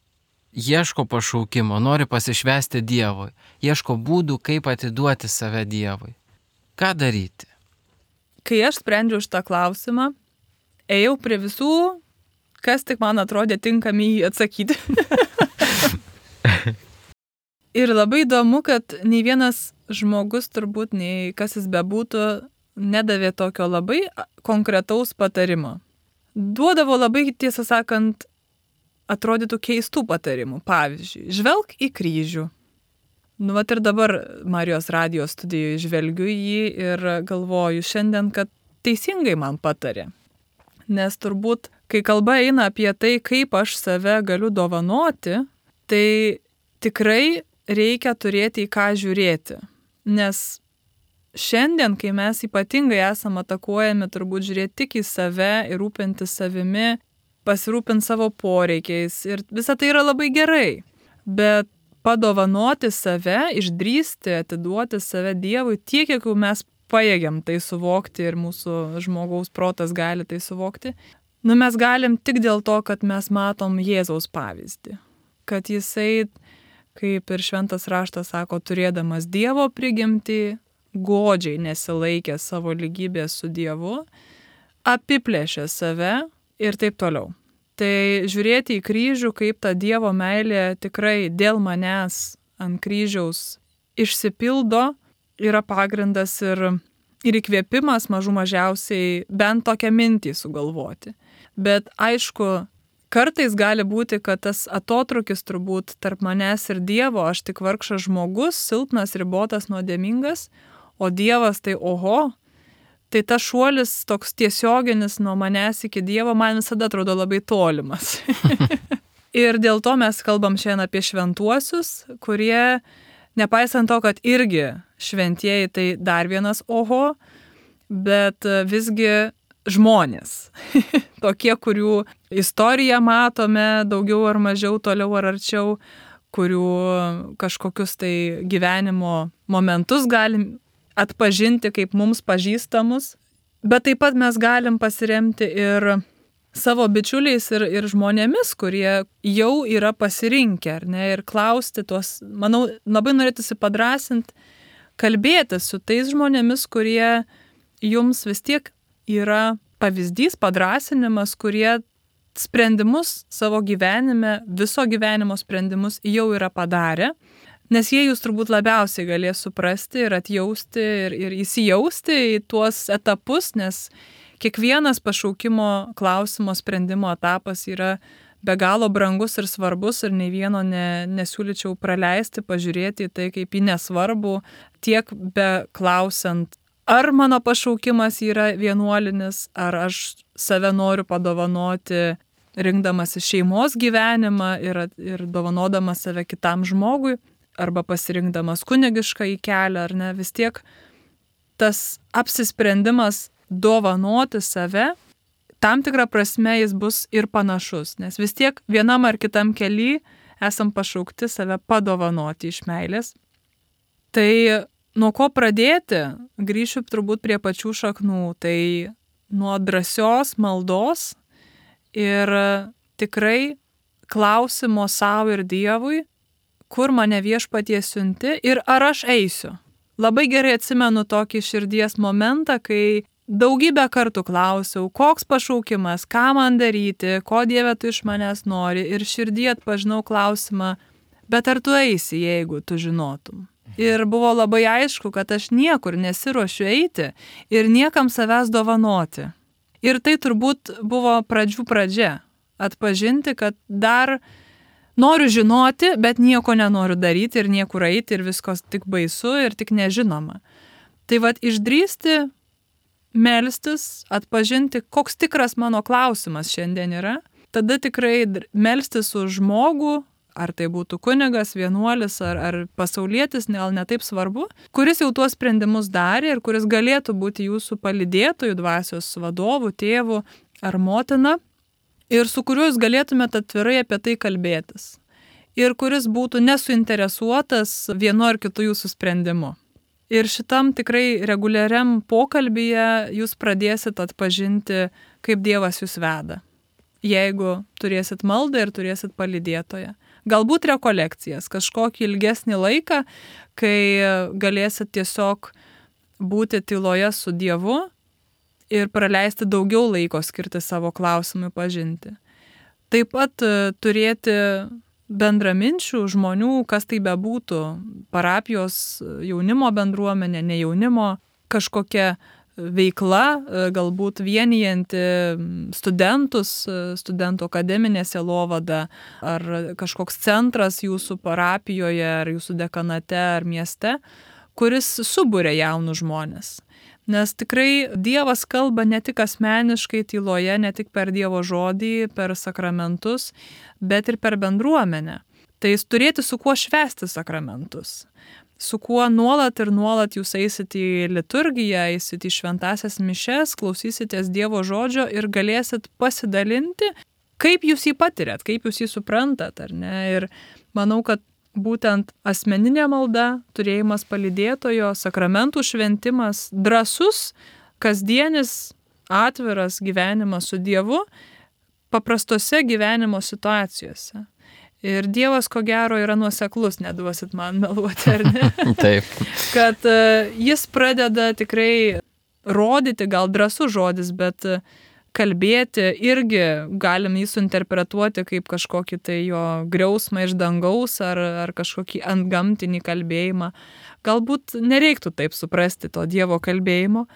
ieško pašaukimo, nori pasišvęsti Dievui, ieško būdų, kaip atiduoti save Dievui. Ką daryti? Kai aš sprendžiau šitą klausimą, ėjau prie visų, kas tik man atrodė tinkami jį atsakyti. Ir labai įdomu, kad nei vienas žmogus, turbūt nei kas jis bebūtų, nedavė tokio labai konkretaus patarimo. Duodavo labai, tiesą sakant, atrodytų keistų patarimų. Pavyzdžiui, žvelk į kryžių. Nu, vat ir dabar Marijos radijos studijoje žvelgiu jį ir galvoju šiandien, kad teisingai man patarė. Nes turbūt, kai kalba eina apie tai, kaip aš save galiu dovanoti, tai tikrai reikia turėti į ką žiūrėti. Nes šiandien, kai mes ypatingai esame atakuojami, turbūt žiūrėti tik į save ir rūpinti savimi, pasirūpinti savo poreikiais ir visa tai yra labai gerai. Bet padovanoti save, išdrįsti, atiduoti save Dievui tiek, kiek jau mes pajėgiam tai suvokti ir mūsų žmogaus protas gali tai suvokti. Nu, mes galim tik dėl to, kad mes matom Jėzaus pavyzdį. Kad jisai, kaip ir šventas raštas sako, turėdamas Dievo prigimtį, godžiai nesilaikė savo lygybės su Dievu, apiplėšė save ir taip toliau. Tai žiūrėti į kryžių, kaip ta Dievo meilė tikrai dėl manęs ant kryžiaus išsipildo, yra pagrindas ir, ir įkvėpimas mažų mažiausiai bent tokią mintį sugalvoti. Bet aišku, kartais gali būti, kad tas atotrukis turbūt tarp manęs ir Dievo, aš tik vargšas žmogus, silpnas, ribotas, nuodėmingas, o Dievas tai oho, tai tas šuolis toks tiesioginis nuo manęs iki Dievo man visada atrodo labai tolimas. Ir dėl to mes kalbam šiandien apie šventuosius, kurie, nepaisant to, kad irgi šventieji tai dar vienas oho, bet visgi žmonės. Tokie, kurių istoriją matome daugiau ar mažiau, toliau ar arčiau, kurių kažkokius tai gyvenimo momentus galim atpažinti kaip mums pažįstamus, bet taip pat mes galim pasiremti ir savo bičiuliais ir, ir žmonėmis, kurie jau yra pasirinkę, ar ne, ir klausti tuos, manau, labai norėtųsi padrasinti, kalbėti su tais žmonėmis, kurie jums vis tiek yra pavyzdys, padrasinimas, kurie sprendimus savo gyvenime, viso gyvenimo sprendimus jau yra padarę, nes jie jūs turbūt labiausiai galės suprasti ir atjausti ir, ir įsijausti į tuos etapus, nes kiekvienas pašaukimo klausimo sprendimo etapas yra be galo brangus ir svarbus ir nei vieno ne, nesiūlyčiau praleisti, pažiūrėti į tai kaip į nesvarbų, tiek be klausiant, ar mano pašaukimas yra vienuolinis, ar aš save noriu padovanoti, rinkdamas šeimos gyvenimą ir, ir dovanodamas save kitam žmogui, arba pasirinkdamas kunigišką į kelią, ar ne, vis tiek tas apsisprendimas dovanoti save, tam tikrą prasme jis bus ir panašus, nes vis tiek vienam ar kitam kely esam pašaukti save padovanoti iš meilės. Tai nuo ko pradėti, grįšiu turbūt prie pačių šaknų, tai nuo drąsios maldos ir tikrai klausimo savo ir Dievui, kur mane viešpatie siunti ir ar aš eisiu. Labai gerai atsimenu tokį širdies momentą, kai daugybę kartų klausiau, koks pašaukimas, ką man daryti, ko Dieve tu iš manęs nori ir širdį atpažinau klausimą, bet ar tu eisi, jeigu tu žinotum. Ir buvo labai aišku, kad aš niekur nesiruošiu eiti ir niekam savęs dovanoti. Ir tai turbūt buvo pradžių pradžia. Atpažinti, kad dar noriu žinoti, bet nieko nenoriu daryti ir niekur eiti ir viskas tik baisu ir tik nežinoma. Tai vat išdrįsti, melstis, atpažinti, koks tikras mano klausimas šiandien yra. Tada tikrai melstis už žmogų, ar tai būtų kunigas, vienuolis ar, ar pasaulietis, gal netaip svarbu, kuris jau tuos sprendimus darė ir kuris galėtų būti jūsų palydėtojų, dvasios vadovų, tėvų ar motina, ir su kuriuo jūs galėtumėte atvirai apie tai kalbėtis. Ir kuris būtų nesuinteresuotas vienu ar kitu jūsų sprendimu. Ir šitam tikrai reguliariam pokalbyje jūs pradėsit atpažinti, kaip Dievas jūs veda. Jeigu turėsit maldą ir turėsit palydėtoją. Galbūt rekolekcijas, kažkokį ilgesnį laiką, kai galėsit tiesiog būti tyloje su Dievu ir praleisti daugiau laiko skirti savo klausimui pažinti. Taip pat turėti bendraminčių žmonių, kas tai bebūtų, parapijos jaunimo bendruomenė, ne jaunimo, kažkokia veikla, galbūt vienijanti studentus, studentų akademinė sielovada, ar kažkoks centras jūsų parapijoje, ar jūsų dekanate, ar mieste, kuris suburia jaunus žmonės. Nes tikrai Dievas kalba ne tik asmeniškai tyloje, ne tik per Dievo žodį, per sakramentus, bet ir per bendruomenę. Tai turėti su kuo švęsti sakramentus. Su kuo nuolat ir nuolat jūs eisit į liturgiją, eisit į šventasias mišes, klausysitės Dievo žodžio ir galėsit pasidalinti, kaip jūs jį patiriat, kaip jūs jį suprantat, ar ne? Ir manau, kad būtent asmeninė malda, turėjimas palydėtojo, sakramentų šventimas, drąsus, kasdienis, atviras gyvenimas su Dievu paprastose gyvenimo situacijose. Ir Dievas, ko gero, yra nuoseklus, neduosit man meluoti, ar ne? Taip. Kad jis pradeda tikrai rodyti, gal drąsus žodis, bet kalbėti irgi galim jį suinterpretuoti kaip kažkokį tai jo griausmą iš dangaus ar, ar kažkokį antgamtinį kalbėjimą. Galbūt nereiktų taip suprasti to Dievo kalbėjimo,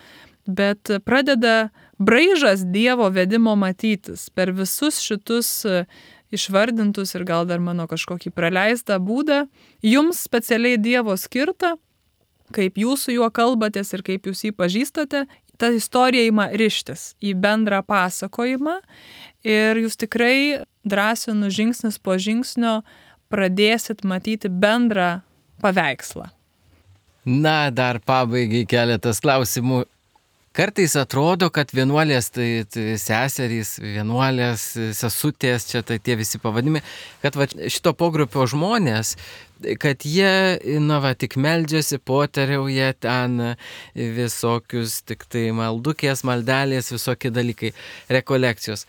bet pradeda braižas Dievo vedimo matytis per visus šitus išvardintus ir gal dar mano kažkokį praleistą būdą, jums specialiai Dievo skirta, kaip jūs su juo kalbatės ir kaip jūs jį pažįstate, ta istorija ima rištis į bendrą pasakojimą ir jūs tikrai drąsinu žingsnis po žingsnio pradėsit matyti bendrą paveikslą. Na, dar pabaigai keletas klausimų. Kartais atrodo, kad vienuolės, tai, tai seserys, vienuolės, sesutės, čia tai tie visi pavadimai, kad va, šito pogrupio žmonės, kad jie, na va, tik meldžiasi, potariauja ten visokius, tik tai maldukės, maldelės, visokie dalykai, rekolekcijos.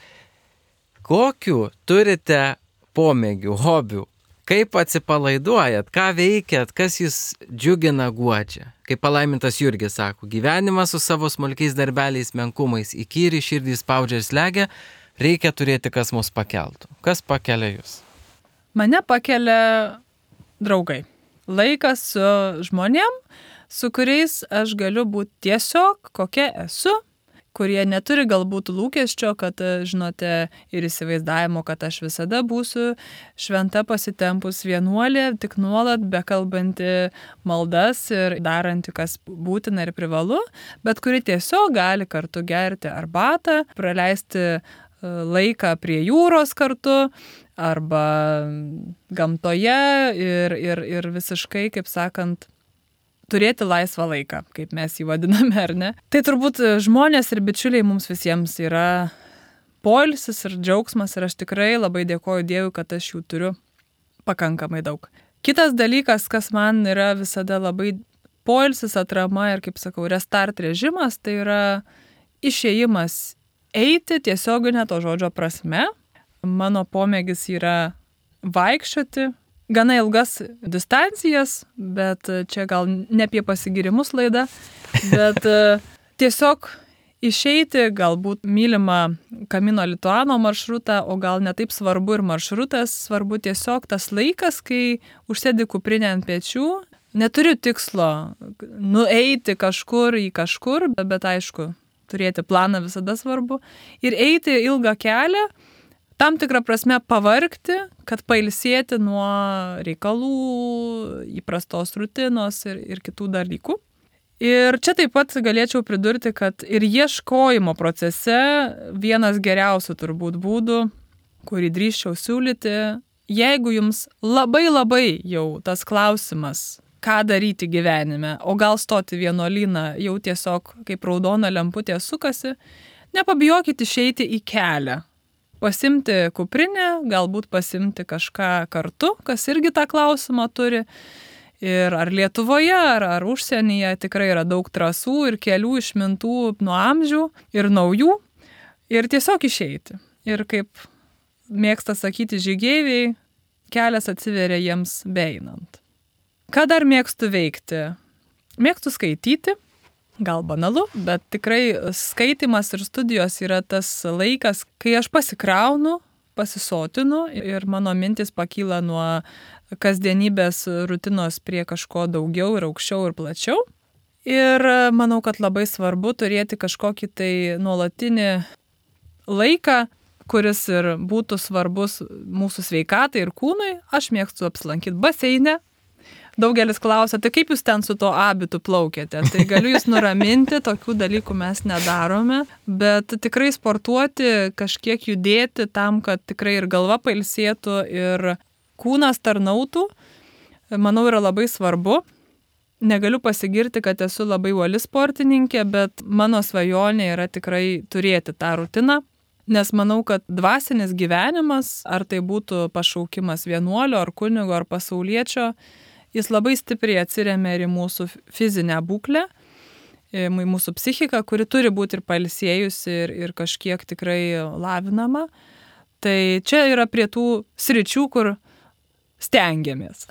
Kokių turite pomėgių, hobių? Kaip atsipalaiduojat, ką veikiat, kas jūs džiugina, guodžia? Kaip palaimintas Jurgis sako, gyvenimas su savo smulkiais darbeliais, menkumais, įkyri širdį spaudžia ir slegia, reikia turėti, kas mus pakeltų. Kas pakelia jūs? Mane pakelia draugai. Laikas su žmonėm, su kuriais aš galiu būti tiesiog, kokia esu, kurie neturi galbūt lūkesčio, kad, žinote, ir įsivaizdavimo, kad aš visada būsiu šventa pasitempus vienuolė, tik nuolat bekalbanti maldas ir daranti, kas būtina ir privalu, bet kuri tiesiog gali kartu gerti arbatą, praleisti laiką prie jūros kartu, arba gamtoje ir, ir, ir visiškai, kaip sakant, turėti laisvą laiką, kaip mes jį vadiname, ar ne? Tai turbūt žmonės ir bičiuliai mums visiems yra poilsis ir džiaugsmas ir aš tikrai labai dėkoju Dievui, kad aš jų turiu pakankamai daug. Kitas dalykas, kas man yra visada labai poilsis, atrama ir, kaip sakau, restart režimas, tai yra išėjimas eiti tiesioginė to žodžio prasme. Mano pomėgis yra vaikščioti, gana ilgas distancijas, bet čia gal ne apie pasigirimus laida, bet tiesiog išeiti, galbūt mylimą Camino Lituano maršrutą, o gal netaip svarbu ir maršrutas, svarbu tiesiog tas laikas, kai užsėdi kuprinę ant pečių, neturiu tikslo nueiti kažkur į kažkur, bet aišku, turėti planą visada svarbu, ir eiti ilgą kelią, tam tikrą prasme pavargti, kad pailsėti nuo reikalų, įprastos rutinos ir, ir kitų dalykų. Ir čia taip pat galėčiau pridurti, kad ir ieškojimo procese vienas geriausių turbūt būdų, kurį drįsčiau siūlyti, jeigu jums labai labai jau tas klausimas, ką daryti gyvenime, o gal stoti vienuolyną jau tiesiog kaip raudona lemputė sukasi, nepabijokit išeiti į kelią. Pasimti kuprinę, galbūt pasimti kažką kartu, kas irgi tą klausimą turi. Ir ar Lietuvoje, ar, ar užsienyje tikrai yra daug trasų ir kelių išmintų nuo amžių ir naujų. Ir tiesiog išeiti. Ir kaip mėgsta sakyti žygeiviai, kelias atsiveria jiems beeinant. Ką dar mėgstu veikti? Mėgstu skaityti. Gal banalu, bet tikrai skaitimas ir studijos yra tas laikas, kai aš pasikraunu, pasisotinu ir mano mintis pakyla nuo kasdienybės rutinos prie kažko daugiau ir aukščiau ir plačiau. Ir manau, kad labai svarbu turėti kažkokį tai nuolatinį laiką, kuris ir būtų svarbus mūsų sveikatai ir kūnui. Aš mėgstu apsilankyti baseine. Daugelis klausia, tai kaip jūs ten su to abitu plaukėte? Tai galiu jūs nuraminti, tokių dalykų mes nedarome, bet tikrai sportuoti, kažkiek judėti tam, kad tikrai ir galva pailsėtų ir kūnas tarnautų, manau, yra labai svarbu. Negaliu pasigirti, kad esu labai uoli sportininkė, bet mano svajonė yra tikrai turėti tą rutiną, Nes manau, kad dvasinis gyvenimas, ar tai būtų pašaukimas vienuolio, ar kunigo, ar pasauliečio, jis labai stipriai atsiremia ir į mūsų fizinę būklę, į mūsų psichiką, kuri turi būti ir pailsėjusi, ir, ir kažkiek tikrai lavinama. Tai čia yra prie tų sričių, kur stengiamės.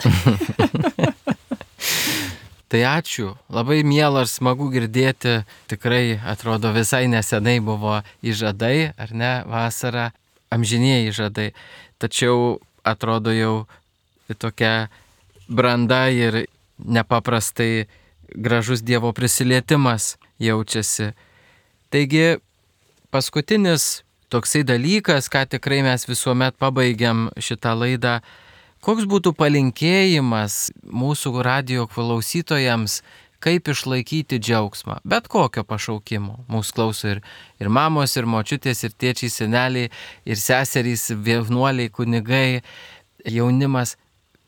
Tai ačiū, labai miela ir smagu girdėti, tikrai atrodo visai nesenai buvo įžadai, ar ne, vasara, amžinieji įžadai, tačiau atrodo jau tokia branda ir nepaprastai gražus Dievo prisilietimas jaučiasi. Taigi paskutinis toksai dalykas, ką tikrai mes visuomet pabaigiam šitą laidą, koks būtų palinkėjimas mūsų radijo klausytojams, kaip išlaikyti džiaugsmą, bet kokio pašaukimo. Mūsų klauso ir, ir mamos, ir močiutės, ir tėčiai, seneliai, ir seserys, vienuoliai, kunigai, jaunimas.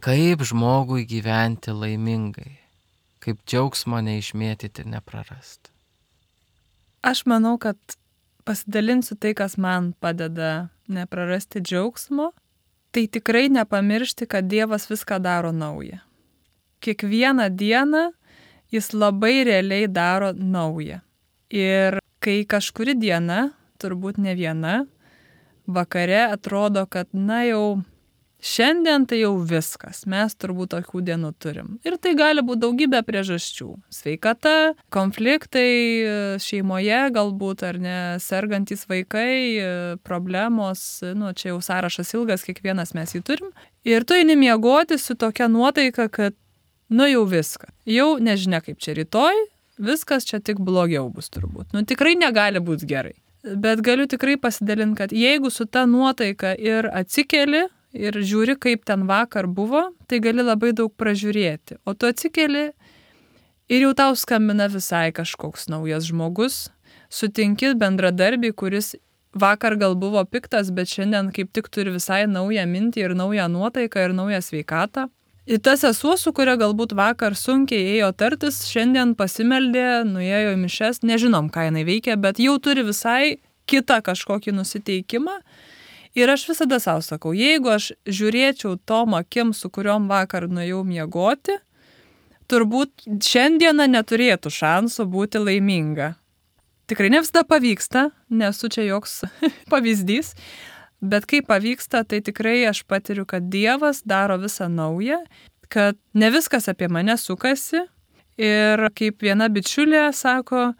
Kaip žmogui gyventi laimingai, kaip džiaugsmo neišmėtyti ir neprarasti. Aš manau, kad pasidalinsiu tai, kas man padeda neprarasti džiaugsmo. Tai tikrai nepamiršti, kad Dievas viską daro naują. Kiekvieną dieną jis labai realiai daro naują. Ir kai kažkuri diena, turbūt ne viena, vakare atrodo, kad na jau šiandien tai jau viskas, mes turbūt tokių dienų turim. Ir tai gali būti daugybė priežasčių. Sveikata, konfliktai šeimoje galbūt, ar ne, sergantys vaikai, problemos, nu čia jau sąrašas ilgas, kiekvienas mes jį turim. Ir tu eini miegoti su tokia nuotaika, kad nu jau viską. Jau nežinia kaip čia rytoj, viskas čia tik blogiau bus turbūt. Nu tikrai negali būti gerai. Bet galiu tikrai pasidalinti, kad jeigu su ta nuotaika ir atsikeli, ir žiūri, kaip ten vakar buvo, tai gali labai daug pražiūrėti. O tu atsikeli ir jau tau skambina visai kažkoks naujas žmogus, sutinki bendradarbį, kuris vakar gal buvo piktas, bet šiandien kaip tik turi visai naują mintį ir naują nuotaiką ir naują sveikatą. Ir ta sesuo, su kuria galbūt vakar sunkiai ėjo tartis, šiandien pasimeldė, nuėjo į mišes, nežinom, ką jinai veikia, bet jau turi visai kitą kažkokį nusiteikimą. Ir aš visada savo sakau, jeigu aš žiūrėčiau tom akim, su kuriuom vakar nuėjau miegoti, turbūt šiandieną neturėtų šansų būti laiminga. Tikrai ne visada pavyksta, nesu čia joks pavyzdys, bet kai pavyksta, tai tikrai aš patiriu, kad Dievas daro visą naują, kad ne viskas apie mane sukasi ir kaip viena bičiulė sako,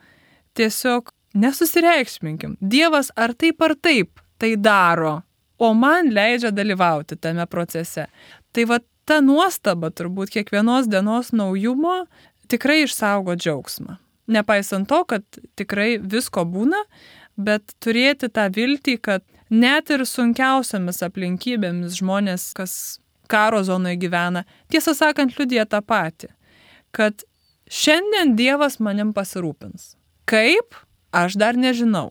tiesiog nesusireikšminkim. Dievas ar taip ar taip tai daro, o man leidžia dalyvauti tame procese. Tai va ta nuostaba turbūt kiekvienos dienos naujumo tikrai išsaugo džiaugsmą. Nepaisant to, kad tikrai visko būna, bet turėti tą viltį, kad net ir sunkiausiamis aplinkybėmis žmonės, kas karo zonoje gyvena, tiesą sakant, liudija tą patį, kad šiandien Dievas manim pasirūpins. Kaip? Aš dar nežinau.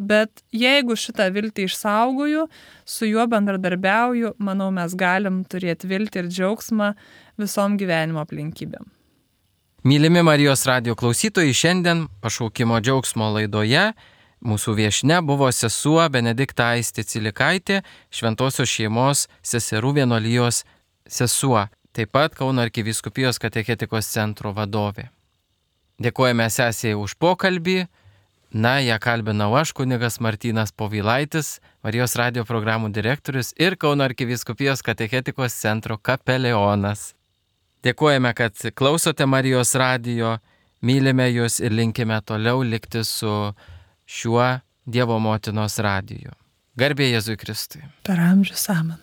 Bet jeigu šitą viltį išsaugoju, su juo bendradarbiauju, manau, mes galim turėti viltį ir džiaugsmą visom gyvenimo aplinkybėm. Mylimi Marijos radijo klausytojai, šiandien pašaukimo džiaugsmo laidoje mūsų viešnia buvo sesuo Benedikta Aistė Cilikaitė, Šventosios šeimos seserų vienuolijos sesuo, taip pat Kauno arkivyskupijos katechetikos centro vadovė. Dėkojame sesijai už pokalbį. Na, ją kalbinau aš, kunigas Martynas Povilaitis, Marijos radijo programų direktorius ir Kauno arkivyskupijos katechetikos centro kapelionas. Dėkojame, kad klausote Marijos radijo, mylime jūs ir linkime toliau likti su šiuo Dievo motinos radiju. Garbė Jėzui Kristui. Per amžius amen.